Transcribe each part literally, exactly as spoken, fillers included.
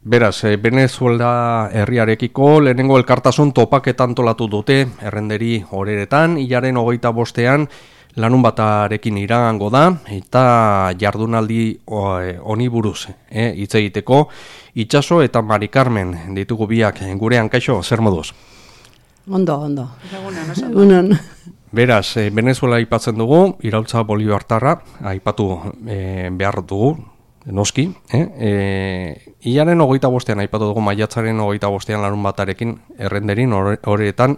Beraz, Venezuela herriarekiko lehenengo elkartasun topaketa antolatu dute errenderi horeretan, hilaren hogeita bostean lanun batarekin iragango da, eta jardunaldi honi buruz eh, hitz egiteko Itxaso eta Mari Carmen ditugu biak gurean. Kaixo, zer moduz? Ondo, ondo. Egunon. Beraz, eh, Venezuela aipatzen dugu, iraultza bolibartarra aipatu eh, behar dugu, noski, eh? E, Iaren hogeita bostean aipatu dugu, maiatzaren hogeita bostean larun batarekin errenderin horretan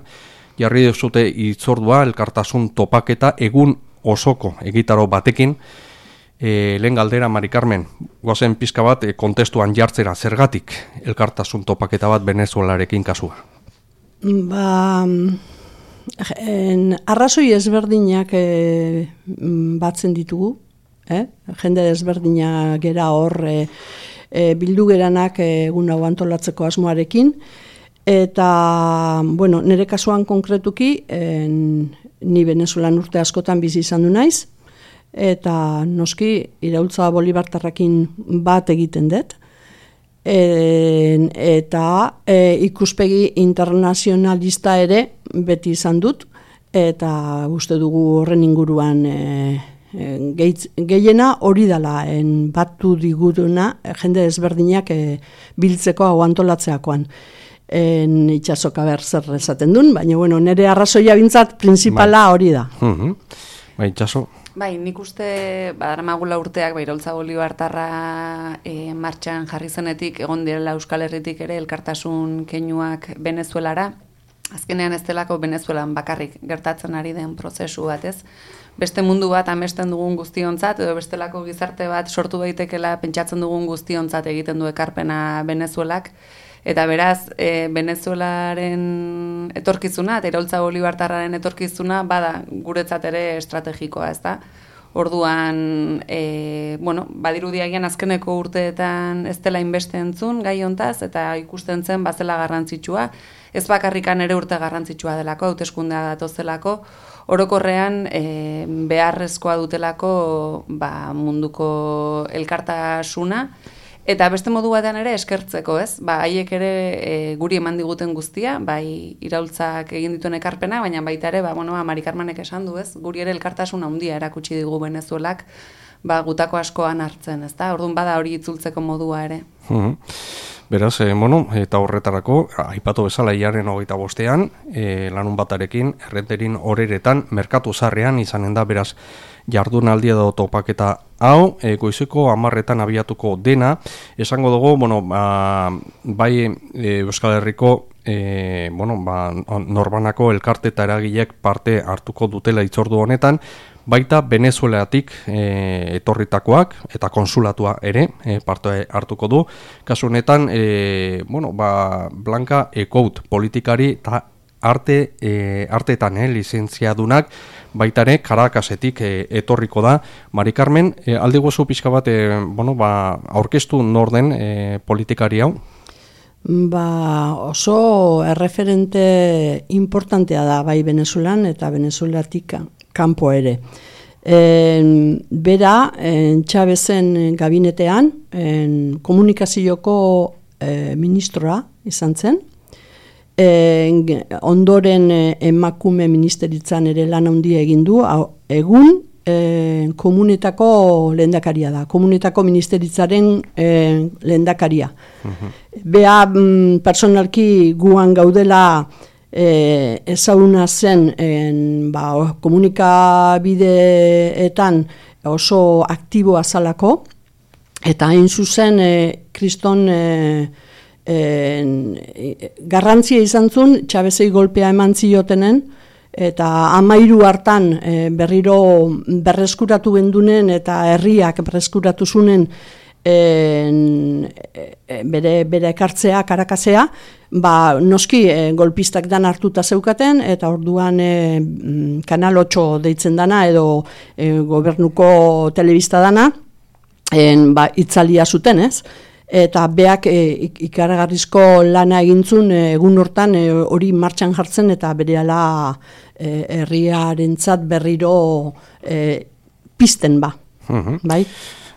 jarri duzute itzordua elkartasun topaketa egun osoko egitaro batekin. E, lehen galdera, Mari Carmen, goazen pizka bat e, kontestuan jartzera, zergatik elkartasun topaketa bat Venezuelarekin kasua? Ba, en, arrazoi ezberdinak e, batzen ditugu. Eh? Jende desberdina gera hor e, e, bildu geranak egun hau antolatzeko asmoarekin, eta bueno, nire kasuan konkretuki en, ni Venezuelan urte askotan bizi izan du naiz, eta noski iraultza bolibartarrakin bat egiten dut, e, eta e, ikuspegi internazionalista ere beti izan dut, eta uste dugu horren inguruan e, gehiena hori dela en batu diguduna jende ezberdinak e, biltzeko hau antolatzeakoan. En Itxasoka ber zer esaten duen, baina bueno, nire arrazoia bintzat printzipala hori da. Uh-huh. Ba, Itxaso? Bai, nik uste badaramagula urteak iraultza bolibartarra e, martxan jarri zenetik egon direla Euskal Herritik ere elkartasun keinuak Venezuelara. Azkenean ez delako Venezuelan bakarrik gertatzen ari den prozesu bat, ez? Beste mundu bat amesten dugun guztiontzat, edo bestelako gizarte bat sortu daitekela pentsatzen dugun guztiontzat egiten du ekarpena Venezuelak, eta beraz, e, Venezuelaren etorkizuna, eta iraultza bolibartarraren etorkizuna, bada guretzat ere estrategikoa, ez da? Orduan, e, bueno, badirudiagian azkeneko urteetan ez dela inbeste entzun gai hontaz, eta ikusten zen bazela garrantzitsua, ez bakarrikan ere urte garrantzitsua delako, hauteskundea datozelako, orokorrean e, beharrezkoa dutelako ba, munduko elkartasuna, eta beste modu batean ere eskertzeko, ez? Ba, haiek ere e, guri eman diguten guztia, bai iraultzak egin dituen ekarpena, baina baita ere, ba, bueno, Mari Carmenek esan du, ez? Guri ere elkartasuna handia erakutsi digu Venezuelak, ba, gutako askoan hartzen, ez da? Orduan bada hori itzultzeko modua ere. Uh-huh. Beraz, eh, bueno, eta horretarako, aipatu bezala hilaren hogeita bostean, eh, lanun batarekin, errenterin horeretan, merkatu zarrean izanen da, beraz, jardunaldi edo topaketa hau, e, goizeko hamarretan abiatuko dena, esango dugu, bueno, ba, bai e, Euskal Herriko e, bueno, ba, norbanako elkarte eta eragilek parte hartuko dutela itzordu honetan, baita Venezuelatik e, etorritakoak eta konsulatua ere e, parte hartuko du. Kasu honetan, e, bueno, ba, Blanca Ecout politikari eta arte, e, artetan eh, lizentziadunak baitare Caracasetik e, etorriko da. Mari Carmen, e, aldi gozu pixka bat e, bueno, ba, aurkeztu norden e, politikari hau? Ba, oso erreferente importantea da bai Venezuelan eta Venezuelatik kanpo ere. En, bera, en, Chavezen gabinetean, en, komunikazioko e, ministroa izan zen, en, ondoren emakume ministeritzan ere lan handia egin du, egun e, komunetako lehendakaria da, komunetako ministeritzaren e, lehendakaria. Uh-huh. Bea, mm, personalki guan gaudela E, ezaguna zen en, ba, komunikabideetan oso aktiboa zalako, eta hain zuzen e, kriston e, e, garrantzia izan zuen Chavezei golpea eman ziotenen, eta amairu hartan e, berriro berreskuratu bendunen eta herriak berreskuratu zunen En, e, bere, bere ekartzea, Karakasea, ba, noski e, golpistak dan hartuta zeukaten, eta orduan e, Kanal ocho deitzen dana, edo e, gobernuko telebista dana, en, ba, itzalia zuten, ez? Eta beak e, ikaragarrizko lana egintzun e, egun hortan hori e, martxan jartzen, eta berehala e, herriarentzat berriro e, pizten ba. Uh-huh. Bai?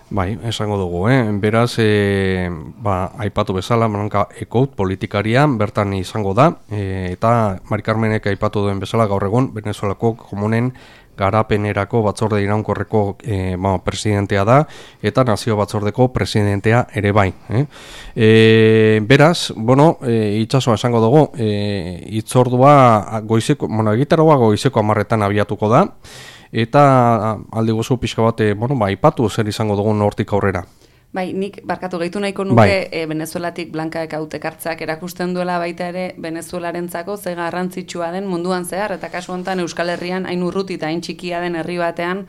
Bai, esango dugu, eh? Beraz, e, ba, aipatu bezala, Blanka Ekout politikarian bertan izango da, e, eta Mari Carmenek aipatu duen bezala gaur egun, Venezuelako komunen garapenerako batzorde iraunkorreko e, ba, presidentea da, eta nazio batzordeko presidentea ere bai. Eh? E, beraz, bueno, e, itxasoa esango dugu, e, itzordua goizeko, bueno, egitaroa goizeko amarretan abiatuko da, eta aldi gozu pixka bat, bueno, ba, ipatu zer izango dugun hortik aurrera. Bai, nik barkatu gehitu nahiko nuke bai. e, Venezuelatik Blanka Ekautek hartzeak erakusten duela baita ere Venezuelarentzako ze garrantzitsua den munduan zehar, eta kasu honetan Euskal Herrian hain urruti eta hain txikia den herri batean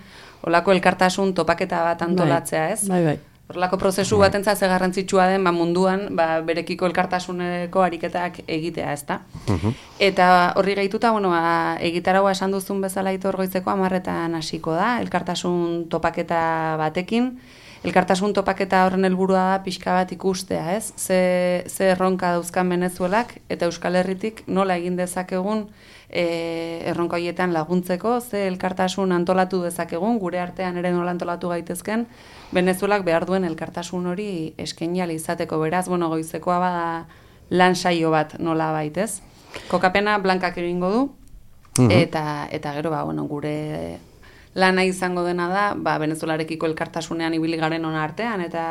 olako elkartasun topaketa bat antolatzea, ez? Bai, bai. Horrelako prozesu bai. Batentzat ze garrantzitsua den ba, munduan ba, berekiko elkartasuneko ariketak egitea, ezta? Uh-huh. Eta horri gehituta, bueno, ba, egitaragoa esan duzun bezala Aitor goizeko amarretan hasiko da, elkartasun topaketa batekin. Elkartasun topaketa horren helburua da pixka bat ikustea, ez? Ze, ze erronka dauzkan Venezuelak eta Euskal Herritik nola egin dezakegun e, erronka horietan laguntzeko, ze elkartasun antolatu dezakegun, gure artean ere nola antolatu gaitezken, Venezuelak behar duen elkartasun hori eskaini ahal izateko. Beraz, bueno, goizekoa bada lan saio bat nola baitez. Kokapena Blankak egingo du, uh-huh. eta, eta gero, ba, bueno, gure lana izango dena da, ba, Venezuelarekiko elkartasunean ibili garen ona artean, eta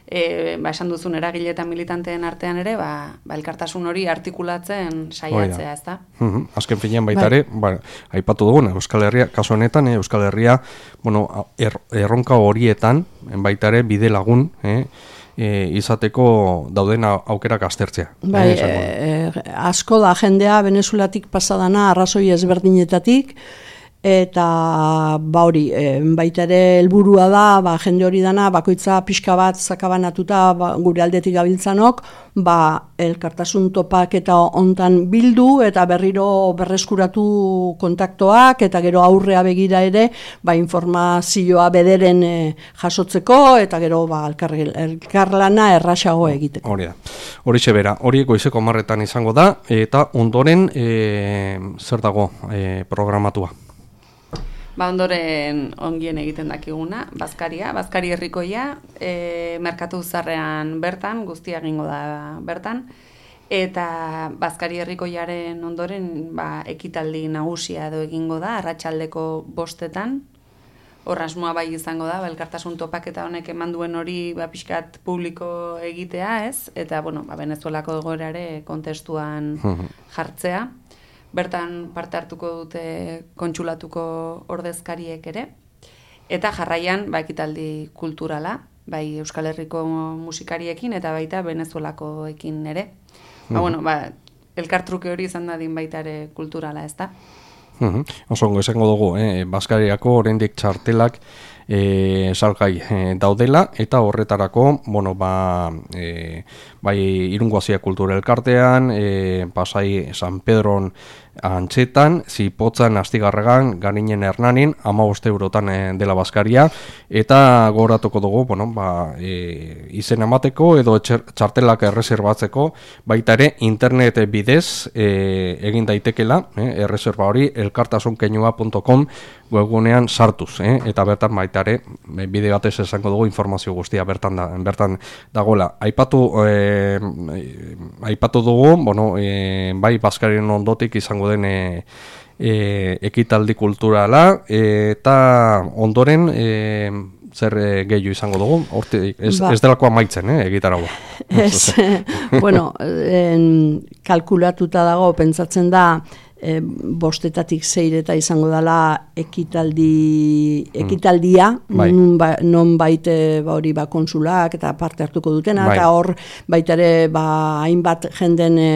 e, ba, esan duzun eragile eta militanteen artean ere, ba, ba, elkartasun hori artikulatzen saiatzea, ez da? Uh-huh. Azken finean baita ere, ba, aipatu dugun, Euskal Herria, kasu honetan, eh, Euskal Herria, bueno, er, erronka horietan, baita ere, bide lagun, eh, e, izateko dauden aukerak aztertzea. Bai, eh, eh, asko da jendea Venezuelatik pasadana arrazoi ezberdinetatik, eta ba hori, e, baita ere helburua da, ba, jende hori dana, bakoitza pixka bat zakabanatuta ba, gure aldetik gabiltzanok, ba, elkartasun topak eta hontan bildu, eta berriro berreskuratu kontaktoak, eta gero aurrea begira ere, ba, informazioa bederen e, jasotzeko, eta gero ba, elkar, elkarlana erraxago egiteko. Hori da. Hori bera, hori goizeko amarretan izango da, eta ondoren e, zer dago e, programatua? Ba, ondoren ongien egiten dakiguna, Bazkaria, Bazkari herrikoia, e, merkatu zarrean bertan, guztia egingo da bertan, eta Bazkari herrikoiaren ondoren ba, ekitaldi nagusia edo egingo da, arratsaldeko bostetan, hor asmoa bai izango da, ba, elkartasun topaketa honek eman duen hori ba, pixkat publiko egitea, ez? Eta, bueno, ba, Venezuelako egoerare kontestuan jartzea. Bertan parte hartuko dute kontsulatuko ordezkariek ere, eta jarraian ba, ekitaldi kulturala, bai Euskal Herriko musikariekin eta baita Venezuelakoekin ere. Ba, bueno, ba, elkartruke hori izan dadin baita ere kulturala, ez da? Uh-huh. Osongo esango dugu, eh? Bazkariako oraindik txartelak e, salgai e, daudela, eta horretarako, bueno, ba, e, bai Irungo Hasia Kultura Elkartean, e, Pasai San Pedron Antxetan, Zipotzan, Astigarragan, Garinen Hernanin, hamabost eurotan e, dela Bazkaria, eta gogoratuko dugu, bueno, ba, e, izen emateko edo txartelak erreserbatzeko, baita ere internet bidez e, egin daitekela, e, erreserba hori elkartasunkeinua puntu com webgunean sartuz, eh? Eta bertan baita ere bide batez esango dugu informazio guztia bertan da, bertan dagoela. Aipatu eh, aipatu dugu, bueno, eh, bai Bazkarien ondotik izango den eh, eh, ekitaldi kulturala, eh, eta ondoren eh, zer eh, gehiago izango dugu, horti, ez, ba. ez delako amaitzen, eh, egitaragoa. Ez, bueno, en, kalkulatuta dago, pentsatzen da, E, bostetatik zeireta izango dela ekitaldi, ekitaldia, mm. bai. non, ba, non baite ba, hori ba, konsulak eta parte hartuko dutena, bai. Eta hor baita ere ba, hainbat jenden e,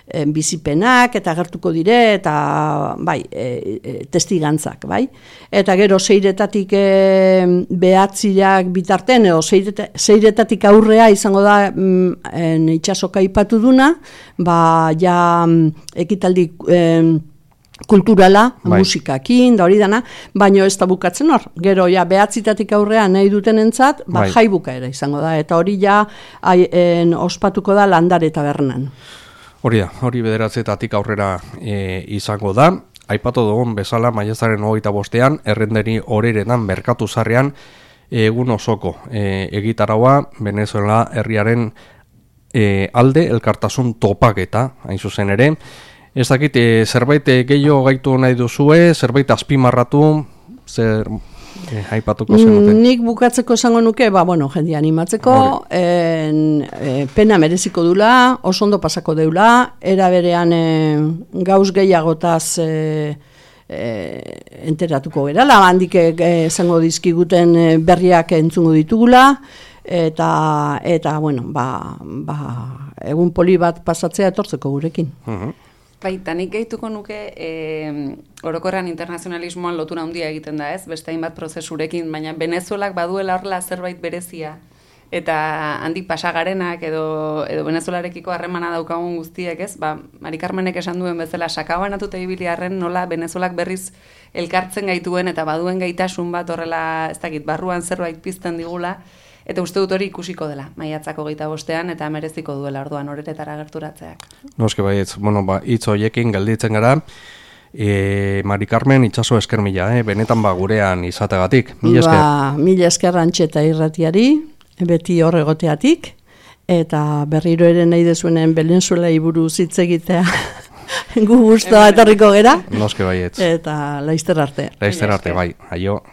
e, bizipenak eta gertuko dire, eta bai, e, e, testigantzak, bai. Eta gero zeiretatik e, behatziak bitarten, edo zeireta, zeiretatik aurrea izango da mm, en, itxasoka ipatu duna, ba, ja ekitaldi eh, kulturala, bai. Musikakin, da hori dana, baino ez da bukatzen hor. Gero, ja, behatzitatik aurrean nahi dutenentzat, ba, bai. Jaibuka ere izango da, eta hori ja ai, en, ospatuko da Landare Tabernan. Hori da, hori bederatzetatik aurrera e, izango da. Aipatu dugun bezala, maiatzaren hogeita bostean, errenderi horeretan, merkatu zarrean, egun osoko e, egitaraua Venezuela herriaren e, alde elkartasun topaketa, hain zuzen ere. Ez dakit, e, zerbait gehiago gaitu nahi duzue, zerbait azpimarratu, zer e, aipatuko zenute? Nik bukatzeko esango nuke, ba, bueno, jendia animatzeko, en, e, pena mereziko dula, oso ondo pasako deula, era berean e, gauz gehiagotaz e, e, enteratuko gerala, handik esango dizkiguten e, berriak entzungo ditugula, eta, eta bueno, ba, ba, egun poli bat pasatzea etortzeko gurekin. Uh-huh. Baita, nik gehituko nuke e, orokorrean internazionalismoan lotura handia egiten da, ez? Beste hainbat prozesurekin, baina Venezuelak baduela horrela zerbait berezia. Eta handik pasagarenak edo, edo Venezuelarekiko harremana daukagun guztiek, ez? Ba, Mari Carmenek esan duen bezala, sakabanatuta ibili arren nola Venezuelak berriz elkartzen gaituen eta baduen gaitasun bat horrela, ez dakit, barruan zerbait pizten digula. Eta uste dut hori ikusiko dela, maiatzako geita bostean, eta mereziko duela orduan horretara gerturatzeak. Noske baietz, bueno, ba, hitz horiekin gelditzen gara, e, Mari Carmen itxaso esker mila, eh? Benetan ba gurean izategatik. Mila esker. Ba, mila esker Antxeta irratiari, beti horregoteatik, eta berriro ere nahi dezuenen Venezuelai buruz hitz egitea gu gustoa etorriko gera. Noske baietz. Eta laizter arte. Laizter arte, bai, aio.